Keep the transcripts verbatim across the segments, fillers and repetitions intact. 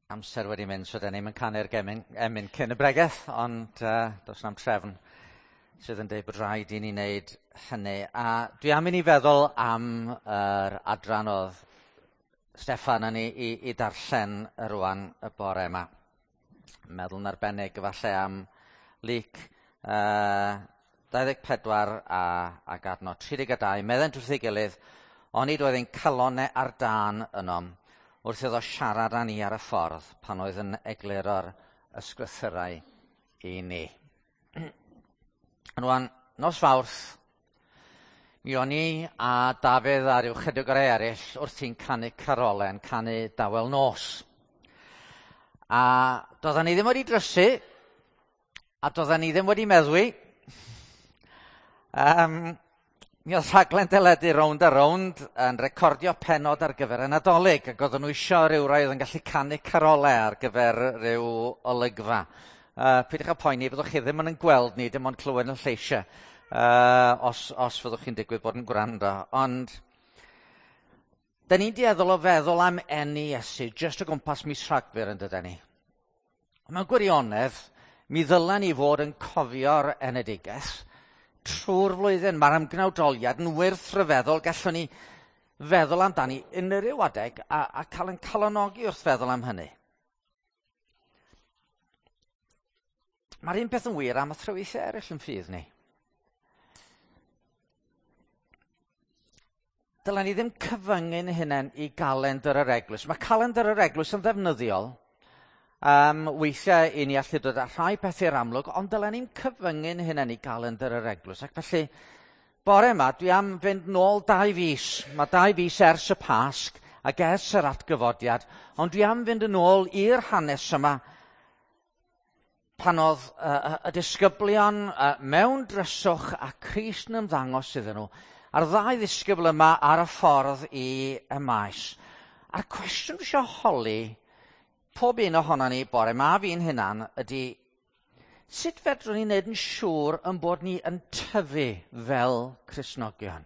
Amser wedi mynd, so da ni'm yn canu'r gemyn, emyn cyn y bregeth, ond uh, does na'm trefn sydd yn dweud bod rhaid i ni wneud hynny. A dwi am i ni feddwl am yr adran oedd Steffan yn ei i, i darllen rwan y bore yma. Meddwl yn arbennig efallai am Luc uh, dau ddeg pedwar a, ac adnod tri deg dau. Meddent wrth ei gilydd, onid oedd ein calonau ar dân ynom, wrth iddo siarad â ni ar y ffordd pan oedd yn egluro'r ysgrythurau i ni. Rwan, nos Fawrth, mi o'n i a Dafydd a ryw chydig o'r eraill wrthi'n canu carolau, yn canu Dawel Nos. A doedden ni ddim wedi drysu, a doedden ni ddim wedi meddwi. Um, Mi oedd rhaglen deledu Rownd a Rownd yn recordio pennod ar gyfer y Nadolig, ac oedden nhw isio rhyw rai oedd yn gallu canu carolau ar gyfer rhyw olygfa. Uh, peidiwch â poeni, fyddwch chi ddim yn gweld ni, dim ond clywed yn lleisiau, uh, os, os fyddwch chi'n digwydd bod yn gwrando. Ond, da ni'n dueddol o feddwl am eni Iesu, jyst o gwmpas mis Rhagfyr yn dyden ni. Ond mewn gwirionedd, mi ddylen ni fod yn cofio'r enedigaeth trwy'r flwyddyn. Mae'r ymgnawdoliad yn wyrth rhyfeddol. Gallwn ni feddwl amdani unrhyw adeg a, a cael ein calonogi wrth feddwl am hynny. Mae'r un peth yn wir am athrawiaethau eraill yn ffydd ni. Dylen ni ddim cyfyngu'n hunain i galendr yr eglwys. Mae calendr yr eglwys yn ddefnyddiol. Um, weithiau i ni allu dod â rhai pethau i'r amlwg, ond dylen ni'n cyfyngu'n hunain i galendr yr eglwys. Ac felly, bore yma, dwi am fynd nôl dau fis. Mae dau fis ers y Pasg ac ers yr atgyfodiad, ond dwi am fynd yn ôl i'r hanes yma pan oedd uh, y disgyblion uh, mewn dryswch a Crist yn ymddangos iddyn nhw, a'r ddau ddisgybl yma ar y ffordd i y maes. A'r cwestiwn dwi eisiau holi pob un ohonon ni bore ma fi'n hunan ydy, sut fedrwn ni wneud yn siŵr yn bod ni yn tyfu fel Cristnogion?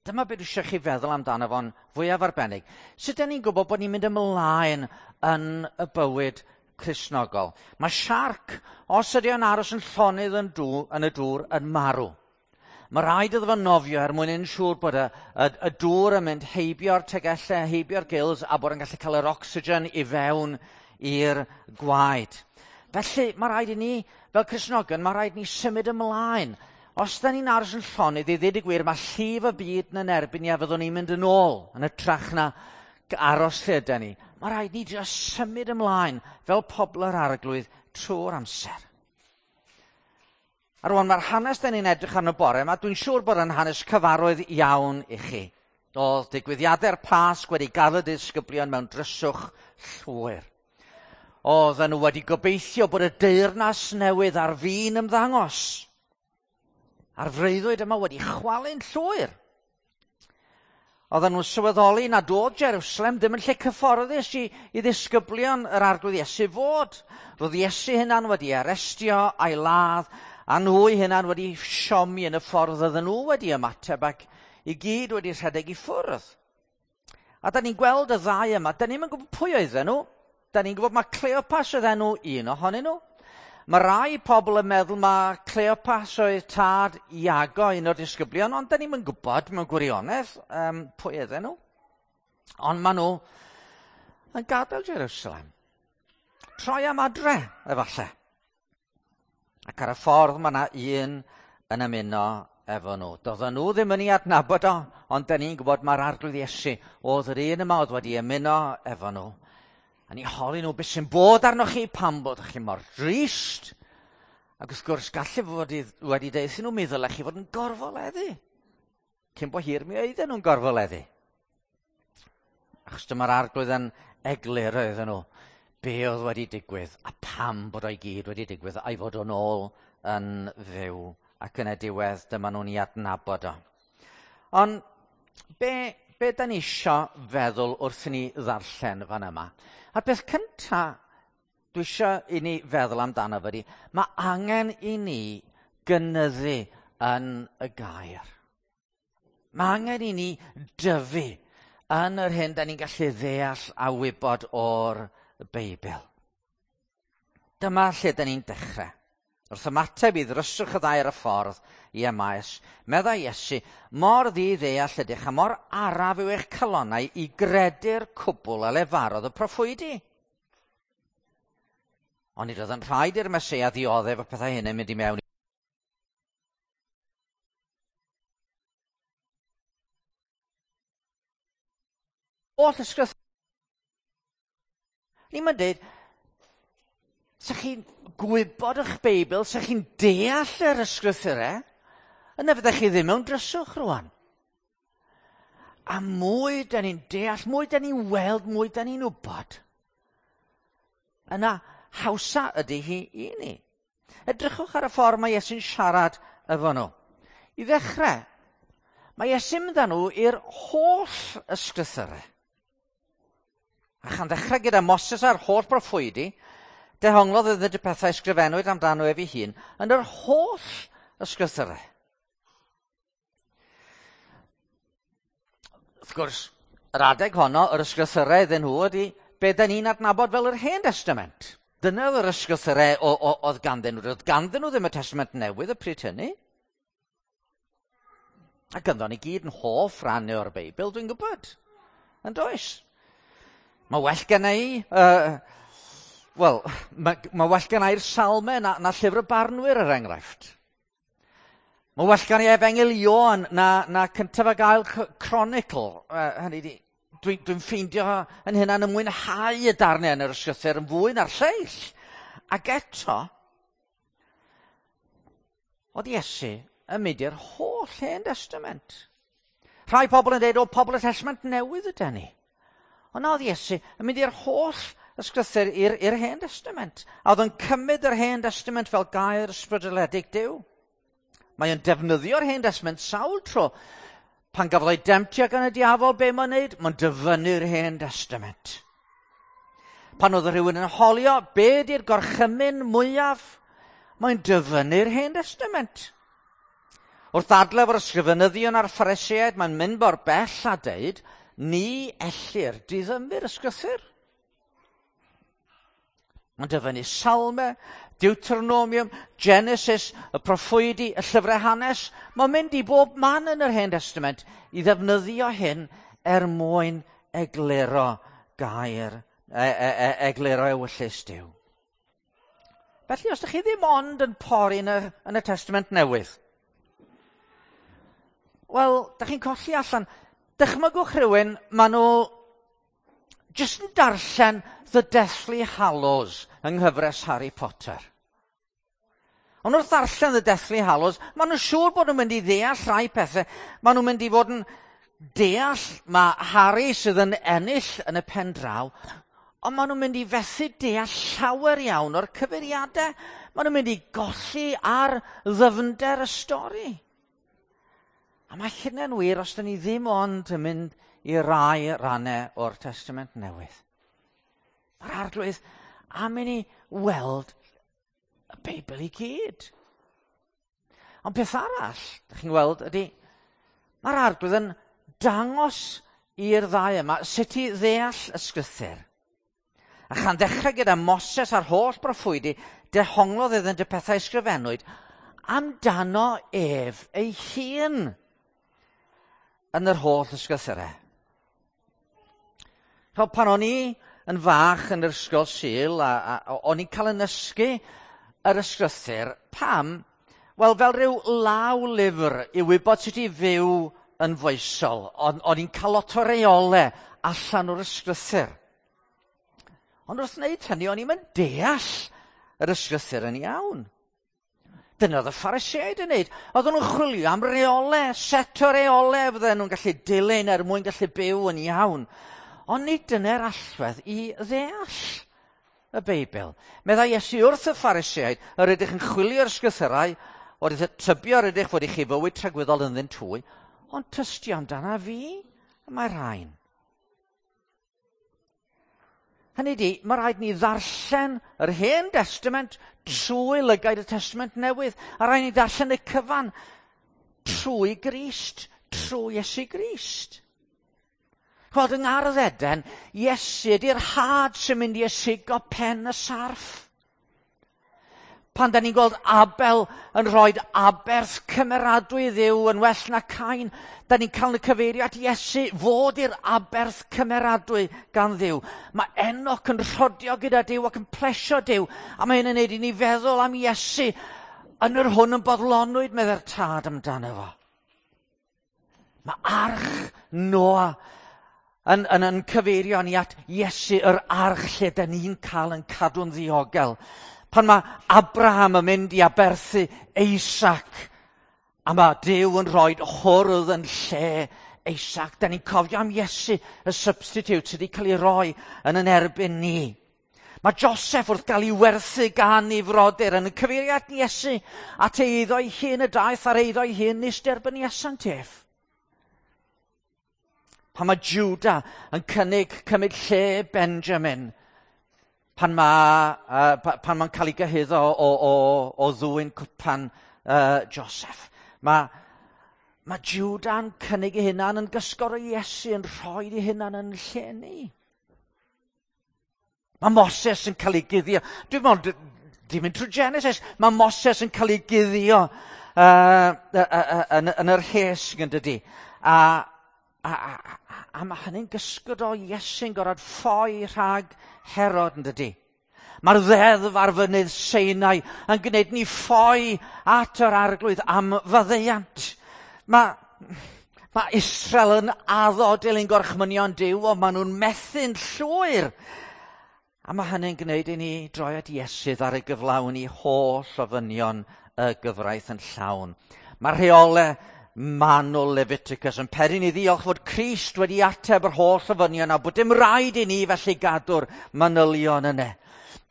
Dyma beth dwi eisiau chi feddwl amdano fo'n fwyaf arbennig. Sut ydyn ni'n gwybod bod ni'n mynd ymlaen yn y bywyd Cristnogol? Mae siarc, os ydy o'n aros yn llonydd yn, dŵr, yn y dŵr, yn marw. Mae rhaid iddo fo nofio er mwyn yn siŵr bod y, y, y dŵr yn mynd heibio'r tegellau, heibio'r gills, a bod yn gallu cael yr ocsigen i fewn i'r gwaed. Felly, mae rhaid i ni, fel Cristnogion, mae rhaid i ni symud ymlaen. Os da ni'n aros yn llonydd, i ddweud y gwir, mae llif y byd yn erbyn ni a fyddwn ni'n mynd yn ôl yn hytrach na aros lle yda ni. Mae rhaid ni jyst symud ymlaen fel pobl yr Arglwydd trwy'r amser. A rwan, mae'r hanes da ni'n edrych arno bore yma, dwi'n siŵr bod yn hanes cyfarwydd iawn i chi. Oedd digwyddiadau'r Pasg wedi gadael y disgyblion mewn dryswch llwyr. Oedden nhw wedi gobeithio bod y deyrnas newydd ar fin ymddangos. A'r freuddwyd yma wedi chwalu'n llwyr. Oedden nhw'n sylweddoli nad oedd Jerusalem ddim yn lle cyfforddus i, i ddisgyblion yr Arglwydd Iesu fod. Roedd Iesu hunan wedi arestio a'i ladd, a nhw hunan wedi siomi yn y ffordd oedden nhw wedi ymateb ac i gyd wedi rhedeg i ffwrdd. A da ni'n gweld y ddau yma, da ni'm yn gwybod pwy oedden nhw. Da ni'n gwybod mae Cleopas oedd enw un ohonyn nhw. Mae rai pobl yn meddwl mae Cleopas oedd tad Iago, un o'r disgyblion, ond da ni'm yn gwybod mewn gwirionedd um, pwy oedden nhw. Ond maen nhw yn gadael Jerusalem. Troi am adre, efallai. Ac ar y ffordd mae yna un yn ymuno efo nhw. Doedden nhw ddim yn ei adnabod o, ond da ni'n gwybod mae'r Arglwydd Iesu oedd yr un yma oedd wedi ymuno efo nhw. A ni holi nhw beth sy'n bod arnoch chi, pam bod chi mor drist. Ac wrth gwrs, gallu fod wedi deud nhw, mi ddylech chi fod yn gorfoleddu. Cyn bo hir mi oedden nhw'n gorfoleddu. Achos dyma'r Arglwydd yn egluro iddyn nhw be oedd wedi digwydd a pam bod o'i gyd wedi digwydd a'i fod o'n ôl yn fyw. Ac yn y diwedd dyma nhw'n ei adnabod o. Ond be, be da ni isio feddwl wrth i ni ddarllen fan yma? A'r peth cynta dwi isio i ni feddwl amdano fo ydi, mae angen i ni gynyddu yn y gair. Mae angen i ni dyfu yn yr hyn da ni'n gallu ddeall a wybod o'r Beibl. Dyma lle da ni'n dechrau. Wrth ymateb i ddryswch y ddau ar y ffordd i Emaus, meddai Iesu, mor ddi-ddeall ydych a mor araf yw eich calonnau i gredu'r cwbl a lefarodd y proffwydi. Ond nid oedd yn rhaid i'r Meseia ddioddef y pethau hyn yn mynd i mewn holl ysgrythur. Ni'n mynd dweud, sa chi'n gwybod eich Beibl, sa chi'n deall yr ysgrythurau, yna fyddech chi ddim mewn dryswch rwan. A mwy da ni'n deall, mwy da ni'n weld, mwy da ni'n wybod, yna hawsa ydy hi i ni. Edrychwch ar y ffordd mae Iesu'n siarad efo nhw. I ddechrau, mae Iesu'n mynd â nhw i'r holl ysgrythurau. A chan ddechrau gyda Moses a'r holl broffwydi, dehonglodd iddynt y pethau ysgrifennwyd amdano ef ei hun yn yr holl ysgrythurau. Wrth gwrs, yr adeg honno, yr ysgrythurau iddyn nhw ydy be da ni'n adnabod fel yr Hen Testament. Dyna oedd yr ysgrythurau oedd ganddyn nhw. Oedd ganddyn nhw ddim y Testament Newydd y pryd hynny. A ganddo ni gyd yn hoff rannau o'r Beibl, dwi'n gwybod. Yn does? Mae well gen i, uh, wel, mae, mae well gen i'r Salmau na, na Llyfr y Barnwyr, er enghraifft. Mae well gen i Efengyl Ioan na, na cyntaf ag ail Chronicle. Uh, hynny di, dwi'n dwi ffeindio yn hynna'n ymwynhau y darnau yn yr ysgrythur yn fwy na'r lleill. Ac eto, oedd Iesu yn mynd i'r holl Hen Testament. Rhai pobl yn dweud, o, pobl y Testament Newydd ydy ni. Ond oedd Iesu yn mynd i'r holl ysgrythur i'r, i'r Hen Testament. A oedd yn cymryd yr Hen Testament fel gair ysbrydoledig Duw. Mae o'n defnyddio'r Hen Testament sawl tro. Pan gafodd ei demtio gan y diafol, be mae'n neud? Mae'n dyfynnu'r Hen Testament. Pan oedd rhywun yn holio, be di'r gorchymyn mwyaf? Mae'n dyfynnu'r Hen Testament. Wrth ddadlau efo'r ysgrifenyddion a'r Phariseaid, mae'n mynd mor bell a deud, ni ellir diddymu'r ysgrythur. Mae'n dyfynnu Salmau, Deuteronomium, Genesis, y proffwydi, y llyfrau hanes. Mae'n mynd i bob man yn yr Hen Testament i ddefnyddio hyn er mwyn egluro gair, e, e, e, egluro ewyllys Duw. Felly, os ydych chi ddim ond yn pori yn y, yn y Testament Newydd, wel, ydych chi'n colli allan. Dychmygwch rhywun, maen nhw jyst yn darllen The Deathly Hallows yng nghyfres Harry Potter. Ond wrth ddarllen The Deathly Hallows, maen nhw'n siŵr bod nhw'n mynd i ddeall rhai pethau. Maen nhw'n mynd i fod yn deall mae Harry sydd yn ennill yn y pen draw, ond maen nhw'n mynd i fethu deall llawer iawn o'r cyfeiriadau. Maen nhw'n mynd i golli ar ddyfnder y stori. A mae hynny'n wir os dyn ni ddim ond yn mynd i rai rannau o'r Testament Newydd. Mae'r Arglwydd am i ni weld y Beibl i gyd. Ond peth arall, ydych chi'n gweld, ydy, mae'r Arglwydd yn dangos i'r ddau yma sut i ddeall ysgrythur. A chan ddechrau gyda Moses a'r holl broffwydi, dehonglodd iddynt y pethau ysgrifennwyd amdano ef ei hun yn yr holl ysgrythurau. Chod, pan o'n i yn fach yn yr ysgol Sul, a, a, o'n i'n cael yn ysgu yr ysgrythur, pam? Wel, fel rhyw law lyfr i wybod sut i fyw yn foesol. O'n, o'n i'n cael lot o reolau allan o'r ysgrythur. Ond wrth wneud hynny, o'n i'n mynd deall yr ysgrythur yn iawn. Dyna oedd y Phariseaid yn wneud. Oedden nhw'n chwilio am reolau, set o reolau fydden nhw'n gallu dilyn er mwyn gallu byw yn iawn. Ond nid dyna'r allwedd i ddeall y Beibl. Meddai Iesu wrth y Phariseaid, yr ydych yn chwilio'r ysgrythurau, o'r tybio yr ydych fod i chi fywyd tragwyddol ynddynt hwy, ond tystio amdana fi, y mae rhain. Hynny di, mae rhaid ni ddarllen yr Hen Testament trwy lygaid y Testament Newydd, a rhaid ni ddarllen y cyfan trwy Grist, trwy Iesu Grist. Gweld yng Ngardd Eden, Iesu ydy'r had sy'n mynd i ysigo pen y sarff. Pan da ni'n gweld Abel yn rhoi aberth cymeradwy i Dduw yn well na Cain, da ni'n cael y cyfeirio at Iesu fod i'r aberth cymeradwy gan Dduw. Mae Enoch yn rhodio gyda Duw ac yn plesio Duw, a mae hyn yn neud i ni feddwl am Iesu yn yr hwn yn bodlonwyd, meddai'r tad amdano fo. Mae arch Noa yn, yn, yn cyfeirio ni at Iesu, yr arch lle da ni'n cael yn cadw'n ddiogel. Pan mae Abraham yn mynd i aberthu Isaac, a mae Duw yn rhoi hwrdd yn lle Isaac, da ni'n cofio am Iesu, y substitute sydd wedi cael ei roi yn yn erbyn ni. Mae Joseph wrth gael ei werthu gan ei frodyr yn y cyfeiriad Iesu at ei eiddo ei hun y daeth ar eiddo ei hun nis derbyniasant ef. Pan mae Judah yn cynnig cymryd lle Benjamin, pan mae, uh, pan mae'n cael ei gyhuddo o, o, o ddwyn cwpan uh, Joseph. Mae, mae Juda'n cynnig ei hunan yn gysgor o Iesu yn rhoi ei hunan yn lle ni. Mae Moses yn cael ei guddio. Dwi'n meddwl, di mynd trwy Genesis, mae Moses yn cael ei guddio uh, uh, uh, yn, yn yr hesg yn dydi. A, a, a, a, a mae hynny'n gysgod o Iesu'n gorfod ffoi rhag Herod yn dydi. Mae'r ddeddf ar fynydd Sinai yn gwneud ni ffoi at yr arglwydd am faddeuant. Mae, mae Israel yn addo dilyn gorchmynion Duw, ond maen nhw'n methu'n llwyr. A mae hynny'n gwneud i ni droi at Iesu ar ei gyflawni holl ofynion y gyfraith yn llawn. Mae rheolau manwl Leviticus yn peri ni ddiolch fod Crist wedi ateb yr holl ofynion a bod dim rhaid i ni felly gadw'r manylion yna.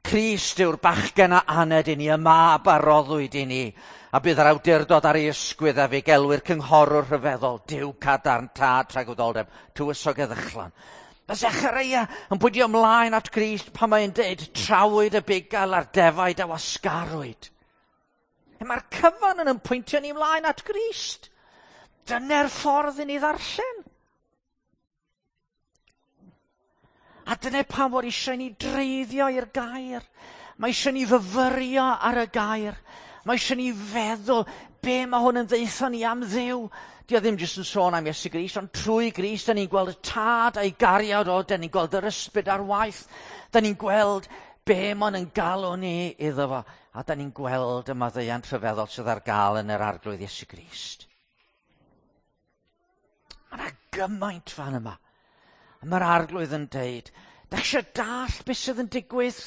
Crist yw'r bachgen a aned i ni, y mab a roddwyd i ni, a bydd yr awdurdod ar ei ysgwydd a fe gelwir cynghorwr rhyfeddol, Duw cadarn, tad tragwyddoldeb, tywysog heddychlon. Mae Zechariah yn pwyntio ymlaen at Grist pan mae'n deud trawyd y bugail a'r defaid a wasgarwyd. Mae'r cyfan yn pwyntio ni ymlaen at Grist. Dyna'r ffordd i ni ddarllen. A dyna pam fod eisiau ni dreiddio i'r gair. Mae eisiau ni fyfyrio ar y gair. Mae eisiau ni feddwl be mae hwn yn ddeutho ni am Dduw. Di o ddim jyst yn sôn am Iesu Grist, ond trwy Grist, da ni'n gweld y tad a'i gariad o, da ni'n gweld yr ysbryd ar waith, da ni'n gweld be mae'n yn galw ni iddo fo, a da ni'n gweld y maddeuant rhyfeddol sydd ar gael yn yr arglwydd Iesu Grist. Mae yna gymaint fan yma. A mae'r arglwydd yn deud, da chi eisiau dall beth sydd yn digwydd?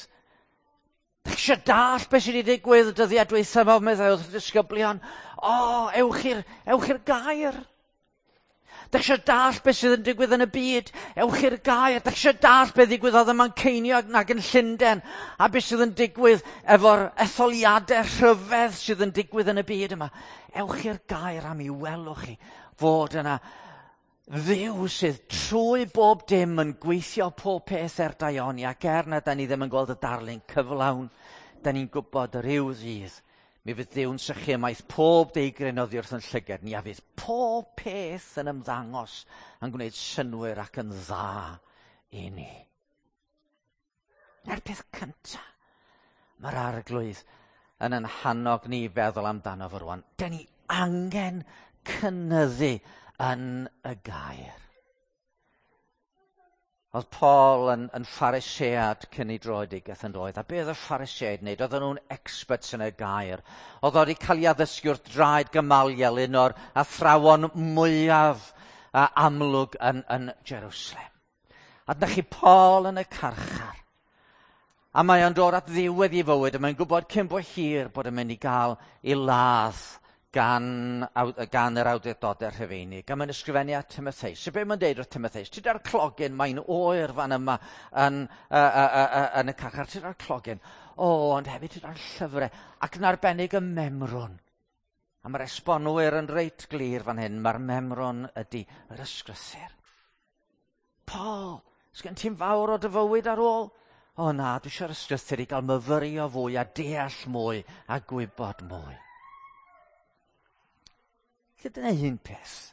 Da chi eisiau dall beth sydd wedi digwydd y dyddiau dwytha yma, meddai wrth y disgyblion? O, ewch i'r, ewch i'r gair. Da chi eisiau dall beth sydd yn digwydd yn y byd? Ewch i'r gair. Da chi eisiau dall beth ddigwyddodd ym Manceinion nag yn Llundain? A beth sydd yn digwydd efo'r etholiadau rhyfedd sydd yn digwydd yn y byd yma? Ewch i'r gair am i welwch chi fod yna Dduw sydd trwy bob dim yn gweithio pob peth er daioni, ac er na da ni ddim yn gweld y darlun cyflawn, da ni'n gwybod yr yw ddydd. Mi fydd Duw'n sychu ymaith pob deigryn oddi wrth yn llygad ni, a fydd pob peth yn ymddangos yn gwneud synnwyr ac yn dda i ni. Na'r peth cyntaf, mae'r arglwydd yn yn hannog ni feddwl amdano fo rwan. Da ni angen cynyddu yn y gair. Oedd Paul yn, yn Pharisead cyn ei droedigaeth yn doedd. A be oedd y Phariseaid wneud? Oedden nhw'n experts yn y gair. Oedd o wedi cael ei addysgu wrth draed Gamaliel, un o'r athrawon mwyaf uh, amlwg yn, yn Jerusalem. A dyna chi Paul yn y carchar. A mae o'n dod at ddiwedd ei fywyd, a mae'n gwybod cyn bo hir bod yn mynd i gael ei ladd gan, gan yr awdurdodau Rhufeinig. A mae'n ysgrifennu at Timotheus. So be mae'n deud wrth Timotheus? Ti da'r clogyn, mae'n oer fan yma yn, uh, uh, uh, uh, yn y carchar. Ti da'r clogyn. O, ond hefyd ti da'r llyfrau. Ac yn arbennig y memrwn. A mae'r esbonwyr yn reit glir fan hyn. Mae'r memrwn ydy yr ysgrythur. Paul, sgen ti'n fawr o dy fywyd ar ôl? O na, dwi eisiau'r ysgrythur i gael myfyrio fwy a deall mwy a gwybod mwy. Lle dyna un peth.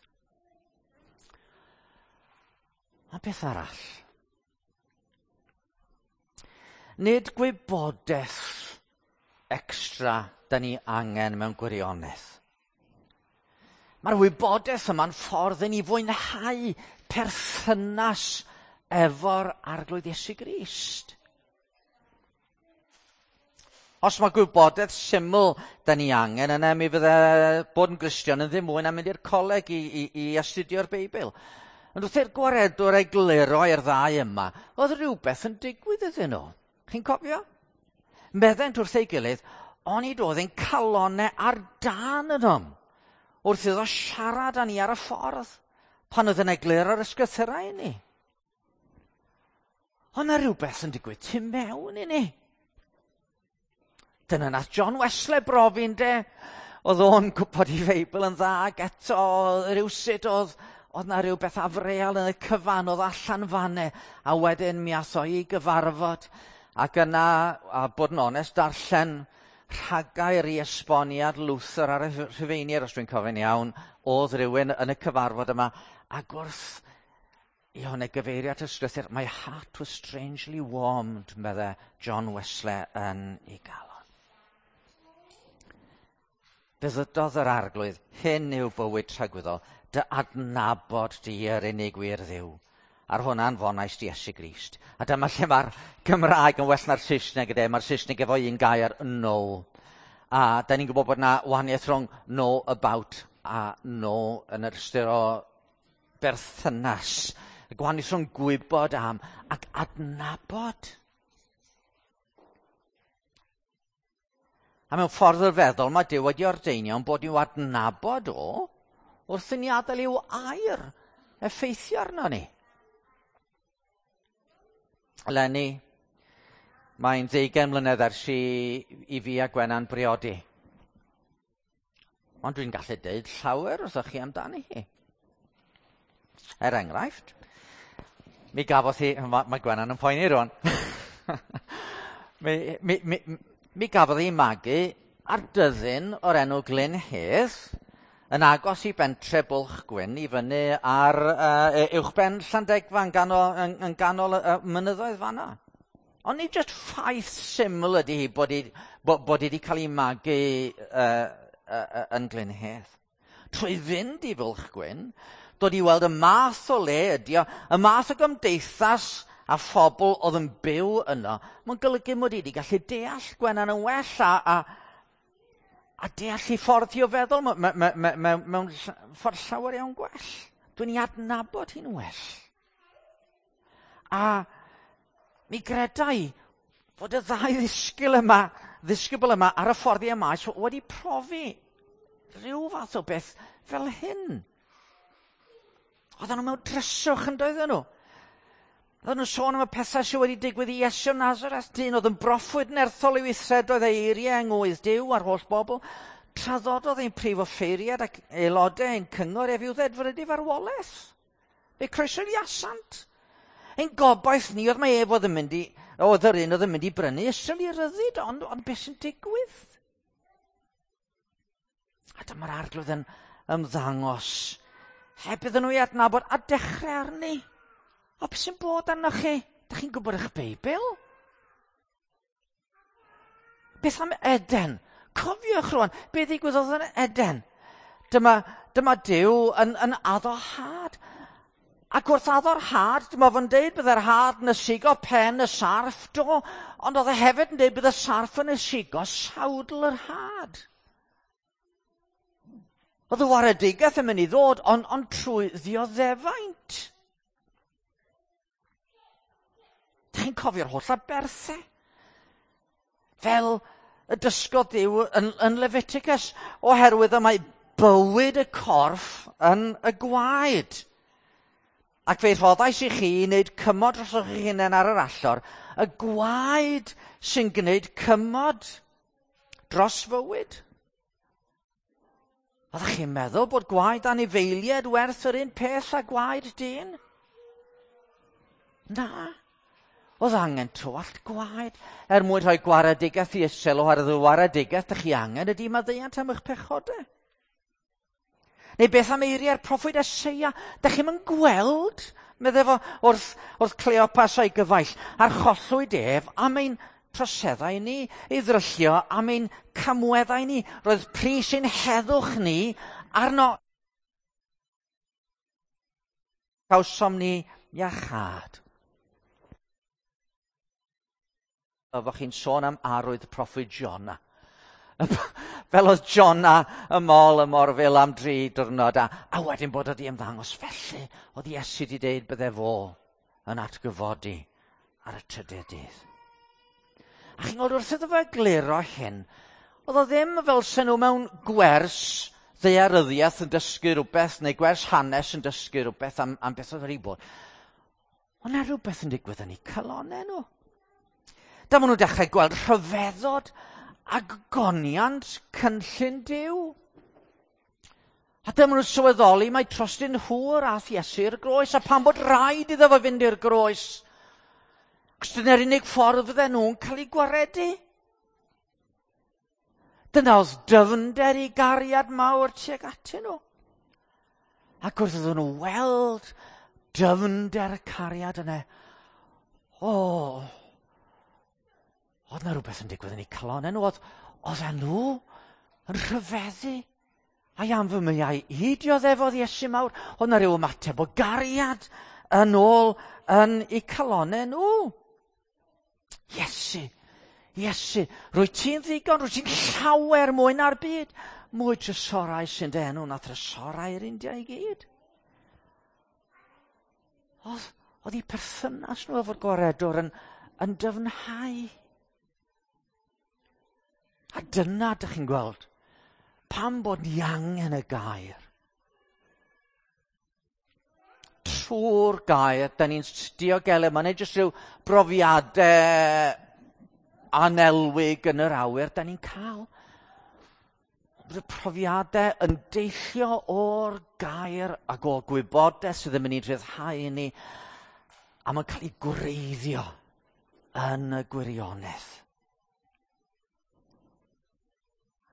A beth arall? Nid gwybodaeth extra da ni angen mewn gwirionedd. Mae'r wybodaeth yma'n ffordd i ni fwynhau perthynas efo'r Arglwydd Iesu Grist. Os mae gwybodaeth syml da ni angen, yna mi fydde bod yn Gristion yn ddim mwy na mynd i'r coleg i, i, i astudio'r Beibl. Ond wrth i'r gwaredwr egluro i'r ddau yma, oedd rhywbeth yn digwydd iddyn nhw. Chi'n cofio? Meddent wrth ei gilydd, onid oedd ein calonau ar dân ynom, wrth iddo siarad â ni ar y ffordd, pan oedd yn egluro'r ysgrythurau i ni. Ond na rhywbeth yn digwydd tu mewn i ni. Dyna nath John Wesley brofi, ynde? Oedd o'n gwybod ei Feibl yn dda, ac eto rhywsut oedd, oedd na rhywbeth afreal yn y cyfan, oedd allan fanne, a wedyn mi ath o i gyfarfod, ac yna, a bod yn onest, darllen rhagair i esboniad Luther ar y Rhufeiniaid, os dwi'n cofio'n iawn, oedd rhywun yn y cyfarfod yma, ac wrth i hwnna gyfeirio at y ysgrythur, "My heart was strangely warmed," medde John Wesley yn ei galon. Fe ddydodd yr Arglwydd, "Hyn yw bywyd tragwyddol, dy adnabod di yr unig wir Dduw. A'r hwn anfonais di Iesu Grist." A dyma lle mae'r Gymraeg yn well na'r Saesneg yde. Mae'r Saesneg efo un gair, "know". A da ni'n gwybod bod yna wahaniaeth rhwng "know about" a "know" yn yr ystyr o berthynas. Y gwahaniaeth rhwng gwybod am ac adnabod. A mewn ffordd ryfeddol mae Duw wedi ordeinio ein bod i'w adnabod o wrth i ni adael i'w air effeithio arno ni. Eleni, mae'n ddeugain mlynedd ers i, i fi a Gwenan briodi. Ond dwi'n gallu deud llawer wrthoch chi amdani hi. Er enghraifft, mi gafodd hi... Mae, mae Gwenan yn poeni rwan. mi, mi, mi, mi gafodd hi magu ar dyddyn o'r enw Glyn Hedd, yn agos i bentre Bwlch Gwyn i fyny ar uh, uwchben Llandegfa yn ganol, yn, yn ganol y uh, mynyddoedd fanna. Ond nid jyst ffaith syml ydy hi bod hi, bod, bod hi wedi cael ei magu uh, uh, uh, yn Glyn Hedd. Trwy fynd i Fwlch Gwyn, dod i weld y math o le ydy o, y math o gymdeithas a phobl oedd yn byw yno, mae'n golygu mod i wedi gallu deall Gwenan yn well a, a a deall ei ffordd hi o feddwl mewn ffordd llawer iawn gwell. Dwi'n ei adnabod hi'n well. A mi gredai fod y ddau ddisgybl yma, ddisgybl yma ar y ffordd i Emaus wedi profi rhyw fath o beth fel hyn. Oedden nhw mewn dryswch yn doedden nhw. Oedden nhw'n sôn am y pethau sydd wedi digwydd i Iesu o Nazareth, dyn oedd yn broffwyd nerthol i weithredoedd ei eiriau yng ngwydd Duw a'r holl bobl. Traddododd ein prif offeiriad ac aelodau ein cyngor ef i'w ddedfrydu farwolaeth. Fe croesodd i asant. Ein gobaith ni oedd mae ef oedd yn mynd i, oedd yr un oedd yn mynd i brynu Israel i ryddid, ond, ond beth sy'n digwydd? A dyma'r Arglwydd yn ymddangos, heb iddyn nhw i adnabod a dechrau arni. O, beth sy'n bod arnoch chi? Dych chi'n gwybod eich Beibl? Beth am Eden? Cofiwch rwan, beth ddigwyddodd yn Eden? Dyma, dyma Duw yn, yn addo had. Ac wrth addo'r had, dyma fo'n deud byddai'r had yn ysigo pen y sarff, do, ond oedd e hefyd yn deud bydd y sarff yn ysigo sawdl yr had. Oedd y waredigaeth yn mynd i ddod, ond, ond trwy ddioddefaint. Dych chi'n cofio'r holl aberthau? Fel y dysgodd Duw yn, yn Leviticus, oherwydd y mae bywyd y corff yn y gwaed. Ac fe rhoddais i chi i wneud cymod dros eich hunain ar yr allor, y gwaed sy'n gwneud cymod dros fywyd. Oeddech chi'n meddwl bod gwaed anifeiliaid werth yr un peth â gwaed dyn? Na. Oedd angen tywallt gwaed er mwyn rhoi gwaredigaeth i Israel, oherwydd y waredigaeth ydych chi angen ydy maddeuant am eich pechodau. Neu beth am eiriau'r proffwyd Eseia? Dych chi'm yn gweld Medde fo wrth, wrth Cleopas a'i gyfaill, archollwyd ef am ein troseddau ni, ei ddryllio am ein camweddau ni. Roedd pris ein heddwch ni arno. Cawsom ni iachâd. Oeddech chi'n sôn am arwydd proffwyd Jona. Fel oedd Jona y mol y morfil am dri diwrnod a, a wedyn bod wedi ymddangos felly oedd Iesu wedi deud bydde fo yn atgyfodi ar y trydydd dydd. A chi'n gweld wrth iddo fo egluro hyn, oedd o ddim fel sen nhw mewn gwers ddaearyddiaeth yn dysgu rhywbeth neu gwers hanes yn dysgu rhywbeth am, am beth oedd wedi bod. Ond na rhywbeth yn digwydd yn eu calonnau nhw. Dyma nhw'n dechrau gweld rhyfeddod a gogoniant cynllun Duw. A dyma nhw'n sylweddoli mai trostyn nhw yr ath Iesu i'r groes, a pam bod rhaid iddo fo fynd i'r groes. Cos dyna'r unig ffordd fydden nhw'n cael eu gwaredu. Dyna oedd dyfnder i gariad mawr tuag atyn nhw. Ac wrth iddyn nhw weld dyfnder y cariad yna, o, oedd na rhywbeth yn digwydd yn eu calonnau nhw. Oedd, oedd nhw yn rhyfeddu. A am fy meiau i dioddefodd Iesu mawr. Oedd na rhyw ymateb o gariad yn ôl yn eu calonnau nhw. Iesu, Iesu, rwy ti'n ddigon, rwy ti'n llawer mwy na'r byd. Mwy trysorau sy'n dy enw na trysorau'r India i gyd. Oedd, oedd eu perthynas nhw efo'r gwaredwr yn, yn dyfnhau. A dyna dych chi'n gweld, pam bod ni angen y gair. Trwy'r gair, da ni'n diogelu, mae'n nid jyst rhyw brofiadau anelwig yn yr awyr, da ni'n cael. Bydd y profiadau yn deillio o'r gair ac o'r gwybodaeth sydd yn mynd i rhyddhau ni, a mae'n cael ei gwreiddio yn y gwirionedd.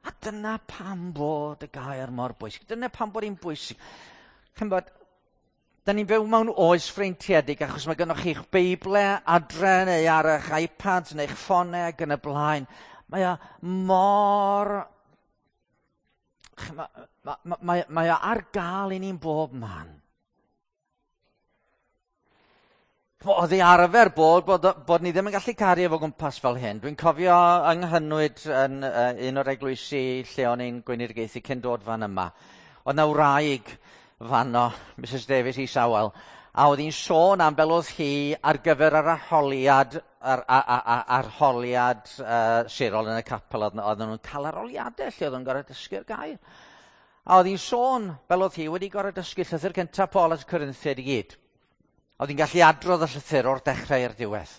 A dyna pam bod y gair mor bwysig. Dyna pam bod hi'n bwysig. Ch'mbod, da ni'n byw mewn oes freintiedig achos mae gennych chi'ch Beiblau adre neu ar eich iPads neu'ch ffonau ac yn y blaen. Mae o mor... Mae, mae, mae, mae o ar gael i ni'n bob man. Oedd ei arfer bod, bod, bod ni ddim yn gallu cario fo gwmpas fel hyn. Dwi'n cofio yng Nghynwyd yn uh, un o'r eglwysi lle o'n i'n gweinidogaethu cyn dod fan yma. Oedd na wraig fanno, Missus Davies Isawel, a oedd hi'n sôn am fel oedd hi ar gyfer yr arholiad, ar, ar, ar, arholiad uh, sirol yn y capel. Oedd, oedd nhw'n cael arholiadau lle oedd nhw'n gorfod dysgu'r gair. A oedd hi'n sôn fel oedd hi wedi gorfod dysgu llythyr cyntaf Paul at y Corinthiaid i gyd. Oedd hi'n gallu adrodd y llythyr o'r dechrau i'r diwedd.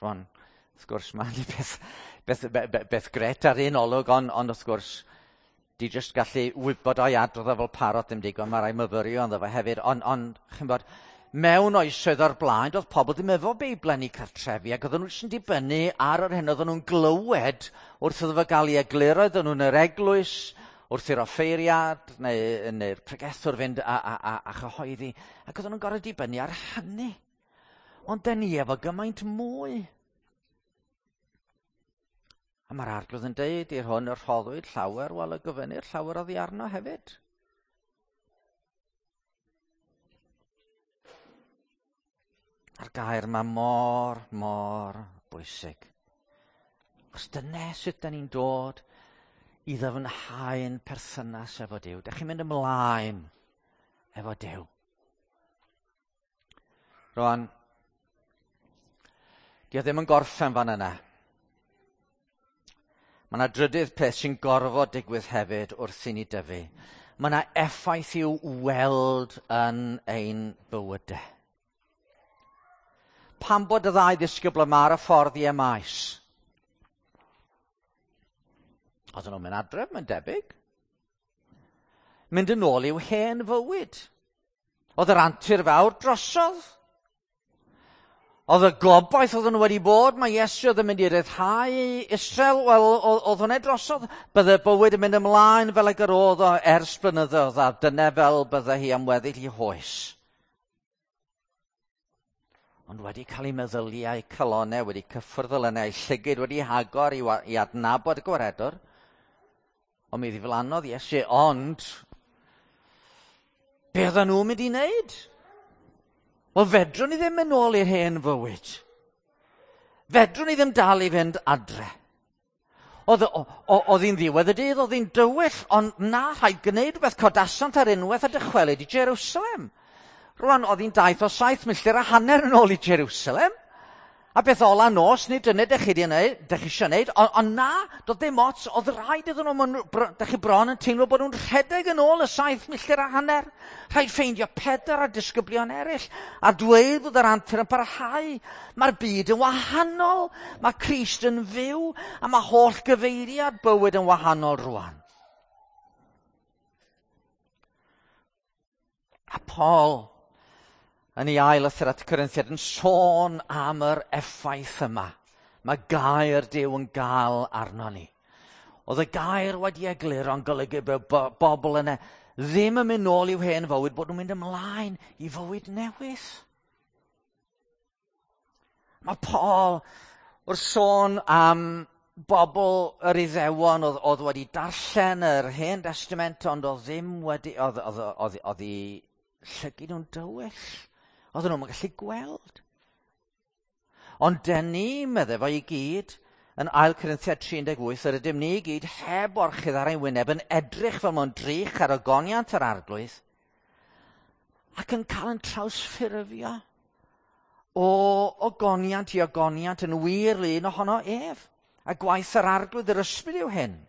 Rwan, wrth gwrs, mae'n beth, beth, beth, beth gret ar un olwg, ond, ond wrth gwrs, di jyst gallu wybod o'i adrodd o fel parot ddim digon, mae rai myfyrio ynddo fo hefyd, ond, ond chi'n bod, mewn oesoedd o'r blaen, doedd pobl ddim efo Beiblau yn eu cartrefi, ac oedden nhw jyst yn dibynnu ar yr hyn oedden nhw'n glywed wrth iddo fo gael ei egluro, oedden nhw'n yr eglwys, wrth i'r offeiriad neu, neu'r pregethwr fynd a, a, a, a chyhoeddi, ac oedden nhw'n gorfod dibynnu ar hynny. Ond dyn ni efo gymaint mwy. A mae'r Arglwydd yn deud i'r hwn y rhoddwyd llawer, wel y gofynnir llawer oddi arno hefyd. A'r gair mae mor, mor bwysig. Achos dyna sut da ni'n dod i ddyfnhau'n perthynas efo Duw. Dych chi'n mynd ymlaen efo Duw. Rwan, di o ddim yn gorffen fan yna. Mae yna drydydd peth sy'n gorfod digwydd hefyd wrth i ni dyfu. Mae yna effaith i'w weld yn ein bywydau. Pam bod y ddau ddisgybl yma ar y ffordd i Emaus? Oedden nhw'n mynd adref, mae'n debyg. Mynd yn ôl i'w hen fywyd. Oedd yr antur fawr drosodd. Oedd y gobaith oedden nhw wedi bod, mae Iesu oedd yn mynd i ryddhau Israel, wel, oedd hwnna drosodd. Bydde bywyd yn mynd ymlaen fel ag yr oedd o ers blynyddoedd, a dyna fel bydde hi am weddill i hoes. Ond wedi cael ei meddyliau calonau, wedi cyffwrdd elynau, llygyd wedi hagor i, i adnabod y gwaredwr. Ond mi ddiflannodd Iesu, ond be oedden nhw'n mynd i wneud? Wel, fedrwn ni ddim mynd nôl i'r hen fywyd. Fedrwn ni ddim dal i fynd adre. Oedd, oedd hi'n ddiwedd y dydd, oedd hi'n dywyll, ond na, rhaid gwneud rhywbeth, codasant ar unwaith a dychwelyd i Jerusalem. Rwan, oedd hi'n daith o saith milltir a hanner yn ôl i Jerusalem. A beth ola nos, nid dyna dych chi dych chi eisiau wneud, ond on na, doedd ddim ots, oedd rhaid iddyn nhw, dych chi bron yn teimlo bod nhw'n rhedeg yn ôl y saith milltir a hanner. Rhaid ffeindio Pedr a disgyblion eraill, a dweud bod yr antur yn parhau. Mae'r byd yn wahanol, mae Crist yn fyw, a mae holl gyfeiriad bywyd yn wahanol rwan. A Paul yn ei ail lythyr at y Corinthiaid yn sôn am yr effaith yma. Mae gair Duw yn gael arno ni. Oedd y gair wedi egluro yn golygu bod bobl yna ddim yn mynd nôl i'w hen fywyd, bod nhw'n mynd ymlaen i fywyd newydd. Mae Paul wrth sôn am bobl yr Iddewon oedd, oedd wedi darllen yr Hen Testament, ond oedd ddim wedi, oedd, oedd, oedd, oedd eu llygid nhw'n dywyll. Oedden nhw'n gallu gweld. Ond dyn ni, meddai fo i gyd, yn ail Corinthiaid tri deg wyth, yr ydym ni i gyd heb orchudd ar ein wyneb yn edrych fel mewn drych ar ogoniant yr Arglwydd ac yn cael yn trawsffurfio o ogoniant i ogoniant yn wir lun ohono ef. A gwaith yr Arglwydd yr Ysbryd yw hyn.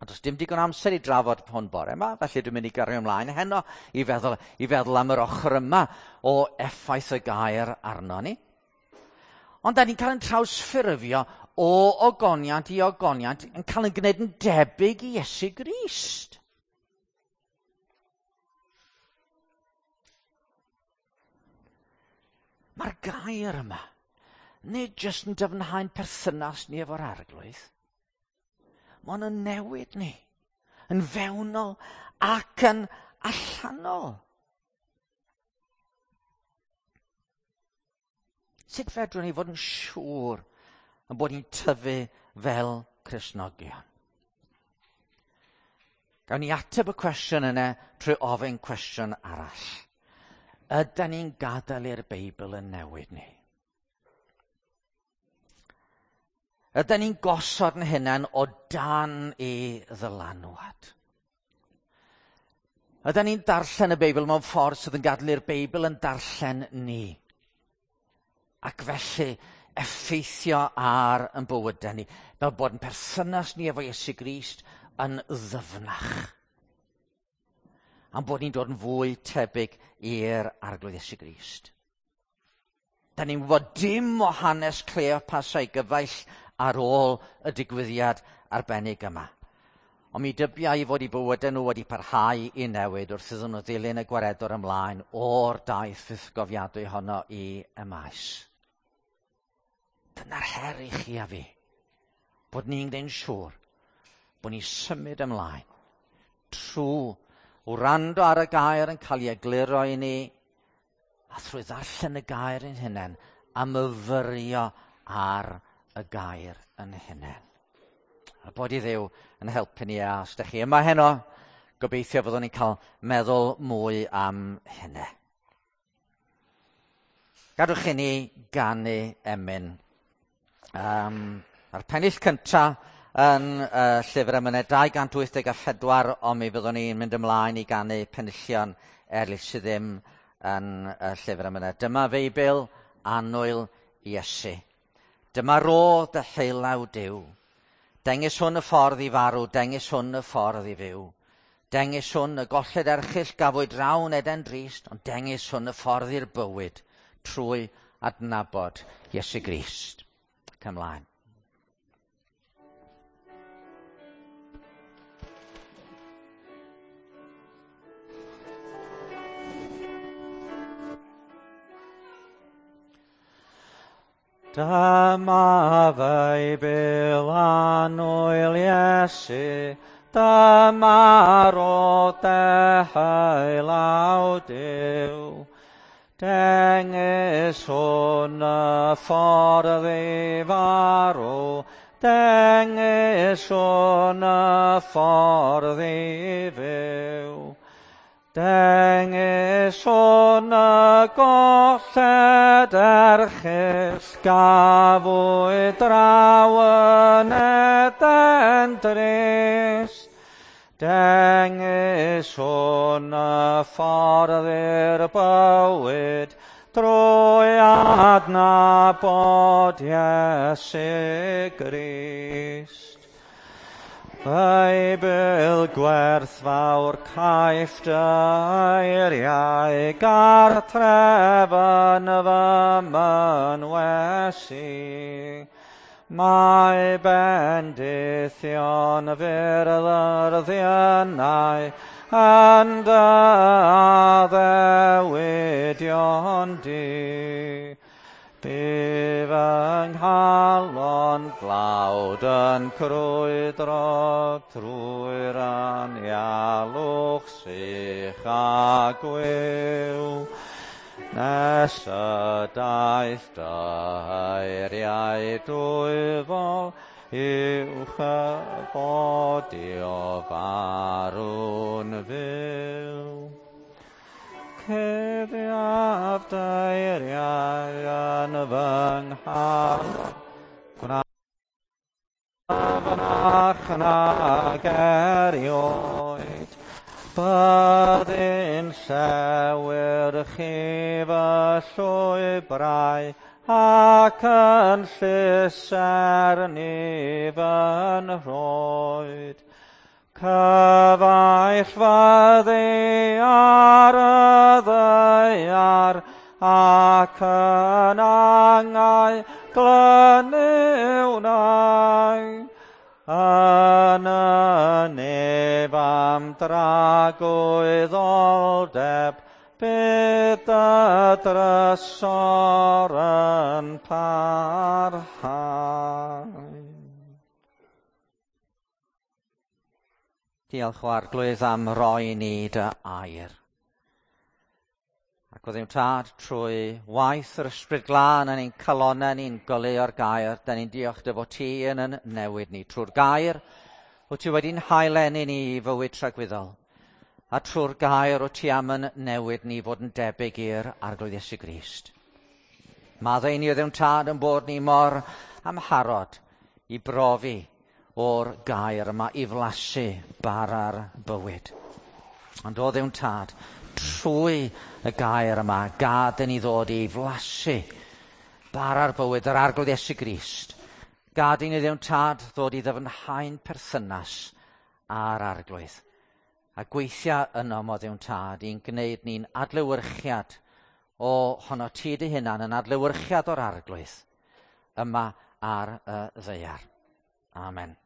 A does dim digon amser i drafod hwn bore yma, felly dwi'n mynd i gario ymlaen heno i feddwl, i feddwl am yr ochr yma o effaith y gair arno ni. Ond da ni'n cael yn trawsffurfio o ogoniant i ogoniant yn cael yn gwneud yn debyg i Iesu Grist. Mae'r gair yma nid jyst yn dyfnhau'n perthynas ni efo'r Arglwydd. Mae o'n newid ni, yn fewnol ac yn allanol. Sut fedrwn ni fod yn siŵr yn bod ni'n tyfu fel Cristnogion? Gawn ni ateb y cwestiwn yna trwy ofyn cwestiwn arall. Ydan ni'n gadael i'r Beibl yn newid ni? Ydan ni'n gosod yn hunain o dan ei ddylanwad? Ydan ni'n darllen y Beibl mewn ffordd sydd yn gadael i'r Beibl yn darllen ni? Ac felly effeithio ar yn bywydau ni, fel bod yn perthynas ni efo Iesu Grist yn ddyfnach. Am bod ni'n dod yn fwy tebyg i'r Arglwydd Iesu Grist. Da ni'n gwybod dim o hanes Cleopas a'i gyfaill ar ôl y digwyddiad arbennig yma. Ond mi dybia i fod i bywydau nhw wedi parhau i newid wrth iddyn nhw ddilyn y gwaredwr ymlaen o'r daith fythgofiadwy honno i Emaus. Dyna'r her i chi a fi, bod ni'n gwneud yn siŵr bod ni'n symud ymlaen trwy wrando ar y gair yn cael ei egluro i ni a thrwy ddarllen y gair yn hunain a myfyrio ar y gair yn hunain. A bod i Dduw yn helpu ni, a os ydych chi yma heno, gobeithio fyddwn ni'n cael meddwl mwy am hynny. Gadwch i ni ganu emyn. Um, Mae'r pennill cyntaf yn uh, llyfr emynau dau gant wyth deg a phedwar, ond mi fyddwn ni'n mynd ymlaen i ganu penillion eraill sydd ddim yn uh, llyfr emynau. Dyma Feibl annwyl Iesu. Dyma rodd dy heilaw Duw. Dengys hwn y ffordd i farw, dengys hwn y ffordd i fyw. Dengys hwn y golled erchyll gafwyd rawn Eden drist, ond dengys hwn y ffordd i'r bywyd trwy adnabod Iesu Grist. Ac ymlaen. Dyma Feibl annwyl Iesu, dyma rodd deheu law Duw. Dengys hwn y ffordd i farw, dengys hwn y ffordd i fyw. Dengys hwn y golled erchyll, gafwyd draw yn Eden drist. Dengys hwn y ffordd i'r bywyd, drwy adnabod Iesu Grist. Beibl gwerthfawr caiff dy eiriau, gartref yn fy mynwes i. Mae bendithion fyrddyrddionau yn dy addewidion di. Bu fy nghalon dlawd yn crwydro trwy'r anialwch sych a gwiw, nes y daeth dy eiriau dwyfol uwch y bodi o farw'n fyw. Cuddiaf dy eiriau yn fy nghalon, gwnaf fynach nag erioed. Byddin llewyrchu fy llwybrau, ac yn llusern i fy nhroed. Cyfaill fyddi ar y ddaear, ac yn angau glynu wnai. Yn y nef am dragwyddoldeb, bydd y drysor yn parhau. Diolch o Arglwydd am roi ni dy air. Ac o Dduw Tad, trwy waith yr Ysbryd Glân yn ein calonnau ni'n goleuo'r gair, da ni'n diolch dy fod ti yn yn newid ni. Trwy'r gair, wyt ti wedi'n haelennu ni i fywyd tragwyddol. A trwy'r gair, wyt ti am yn newid ni fod yn debyg i'r Arglwydd Iesu Grist. Maddau ni o Dduw Tad yn bod ni mor amharod i brofi o'r gair yma i flasu bara'r bywyd. Ond o Dduw Tad, trwy y gair yma, gad i ni ddod i flasu bara'r bywyd, yr Arglwydd Iesu Grist. Gad i ni Dduw Tad ddod i ddyfnhau'n perthynas â'r Arglwydd. A gweithio yno, o Dduw Tad, i'n gwneud ni'n adlewyrchiad o hono ti dy hunan, yn adlewyrchiad o'r Arglwydd yma ar y ddaear. Amen.